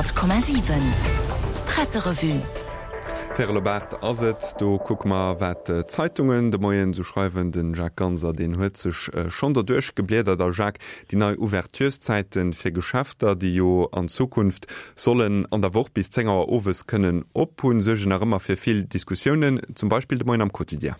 100,7 Presserevue. Véierel op 8 ass et. Do kucke mer, wat d'Zeitungen de Moien esou schreiwen. De Jacques Ganser, deen huet sech schonn derduerch gebliedert. A Jacques, déi nei Ouvertureszäite fir Geschäfter, déi jo an Zukunft sollen an der Woch bis 10 Auer owes kënnen op hunn, suergen nach ëmmer fir vill Diskussiounen, zum Beispill de Moien am Quotidien.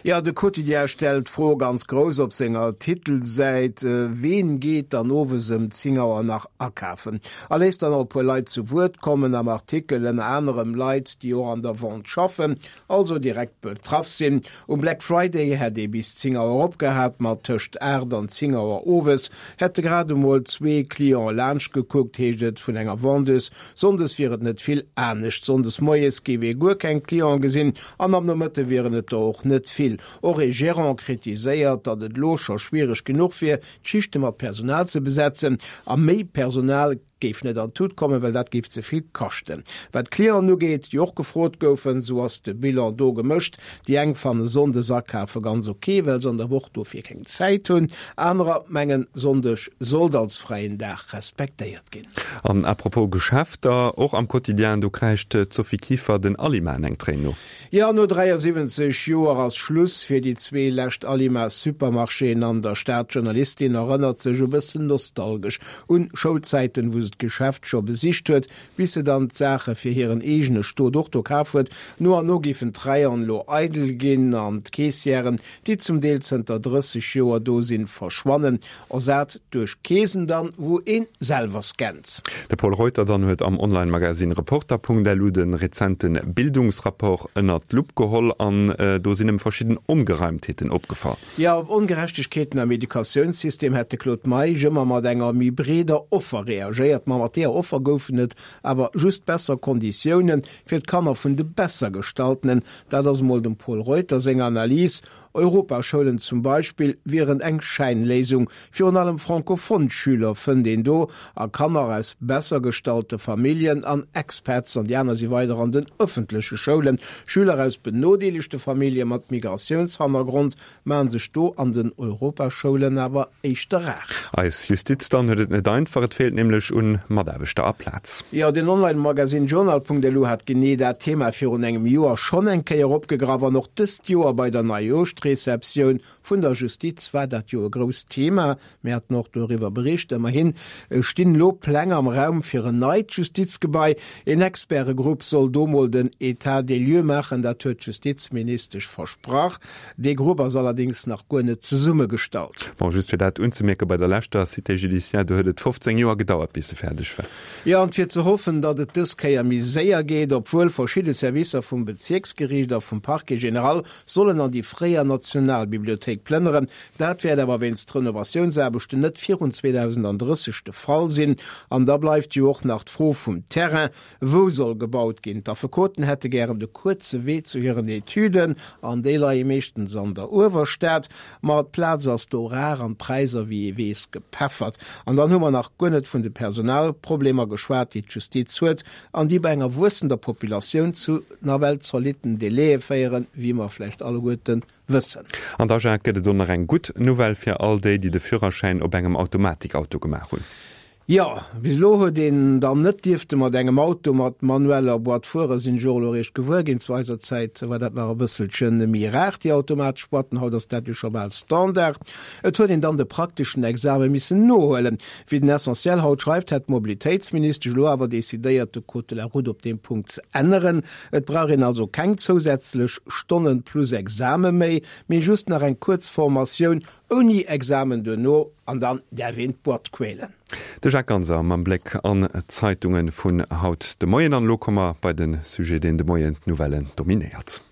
Jo, de Quotidien stellt d'Fro ganz grouss op senger Titelsäit, Ween geet dann owes ëm 10 Auer nach akafen? A léisst dann och e puer Leit zu Wuert kommen am Artikel, ënner anerem Leit, déi och an der Vente schaffen, also direkt betraff sinn. Um Black Friday hätt ee bis 10 Auer opgehat, ma tëscht 8 an 10 Auer owes hätte grad emol zwee Cliente laanscht gekuckt, heescht et vun enger Vendeuse. Sonndes wier et net vill anescht. Sonndes moies géif ee guer keng Clienten gesinn an am Nomëtte wieren et der och net vill. Och ee Gerant kritiséiert, datt et elo scho schwiereg genuch wier, d'Schichte mat Personal ze besetzen a méi Personal géif net an d'Tut kommen, well dat géif ze vill kaschten. Wat d'Clienten ugeet, déi och gefrot goufen, esou ass de Bilan do gemëscht. Déi eng fanne Sonndes akafe ganz ok, well se an der Woch dofir keng Zäit hunn. Anerer mengen, Sonndeg sollt als fräien Dag respektéiert ginn. An à propos Geschäfter, och am Quotidien, do kräischt d'Sophie Kieffer den Alimaen eng Tréin no. Jo, no 73 Joer ass Schluss fir déi zwee lescht Alima-Supermarchéen an der Stad. D'Journalistin erënnert sech e bëssen nostalgesch un Schoulzäiten, wou se d'Geschäft scho besicht huet, bis se dann d'Saache fir hiren eegene Stot och do kaf huet. No an no géifen d'Rayonen elo eidel ginn an d'Caissièren, déi zum Deel zënter 30 Joer do sinn, verschwannen. Ersat duerch Keesen dann, wou een selwer scannt. De Pol Reuter dann huet am Online-Magazine Reporter.lu de rezente Bildungsrapport ënnert d'Lupp geholl an do sinn em verschidden Ongereimtheeten opgefall. Jo, op Ongerechtegkeeten am Educatiounssystem hätt de Claude Meisch ëmmer mat enger méi breeder Offer reagéiert. Ma mat deeër Offer goufen et awer just besser Konditioune fir d'Kanner vun de Bessergestaltenen. Dat ass emol dem Pol Reuter seng Analys. Europaschoulen zum Beispill wieren eng Schäinléisung. Virun allem francophone Schüler fënnt een do, a Kanner aus besser gestallte Familljen an Expats, an déi aner si weider an den ëffentleche Schoulen. Schüler aus benodeelegte Famillje mat Migratiounshannergrond maachen sech do an den Europaschoulen awer éischter rar. Eis Justiz dann huet et net einfach, et feelt nämlech un Mataarbechter a Plaz. Jo, den Online-Magasinn Journal.lu hat genee dat Thema virun engem Joer schonn eng Kéier opgegraff an och dëst Joer bei der Neijoerschreceptioun vun der Justiz war dat jo e grousst Thema. Mir haten och doriwwer bericht. Ëmmerhin stinn elo Pläng am Raum fir en neit Justizgebai. Een Expertegrupp soll do mol den Etat des lieux maachen, dat huet d'Justizministesch versprach. Dee Grupp ass allerdéngs nach guer net zesummegestallt. Bon, just fir dat unzemierken, bei der leschter Cité judiciaire, do huet et 15 Joer gedauert, bis se fäerdeg war. Jo, an fir ze hoffen, datt et dës Kéier méi séier geet, obwuel verschidde Servicer vum Bezierksgeriicht a vum Parquet général sollen an déi fréier Nationalbibliothéik plënneren. Dat wäert awer wéinst Renovatiounsaarbechten net virun 2030 de Fall sinn. An da bleift jo och nach d'Fro vum Terrain. Wou soll gebaut ginn? D'Affekoten hätte gären de kuerze Wee zu hiren Etüden, an déi leie meeschtens an der Uewerstad. Ma d'Plaz ass do rar an d'Präisser, wéi ee weess, gepeffert. An dann hu mer nach guer net vun de Personalproblemer geschwat, déi d'Justiz huet an déi bei enger wuessender Populatioun zu nawell zolitten Délaië féieren, wéi mer vläicht alleguerte wëssen. An da, Jacques, gëtt et och nach eng gutt Nouvelle fir all déi, déi de Führerschäin op engem Automatikauto gemaach hunn. Jo, bis elo huet een dann net dierfte mat engem Auto mat manueller Boîte fueren, sinn ech och elo eréischt gewuer ginn. Zu eiser Zäit war dat nach e bësselche méi rar, déi automatesch Boîten, haut ass dat jo scho bal Standard. Et huet een dann de prakteschen Exame missen nohuelen. Wéi den Essentiel haut schreift, hätt d'Mobilitéitsministesch elo awer decidéiert, de Code de la route op deem Punkt ze änneren. Et brauch een also keng zousätzlech Stonnen plus Exame méi, mee just nach eng kuerz Formatioun Ouni Examen duerno an dann däerf een d'Boîte quälen. De Jacques Ganser mam Bléck an d'Zeitunge vun haut de Moien. An elo komme mer bei de Sujet, deen de Moien d'Nouvellen dominéiert.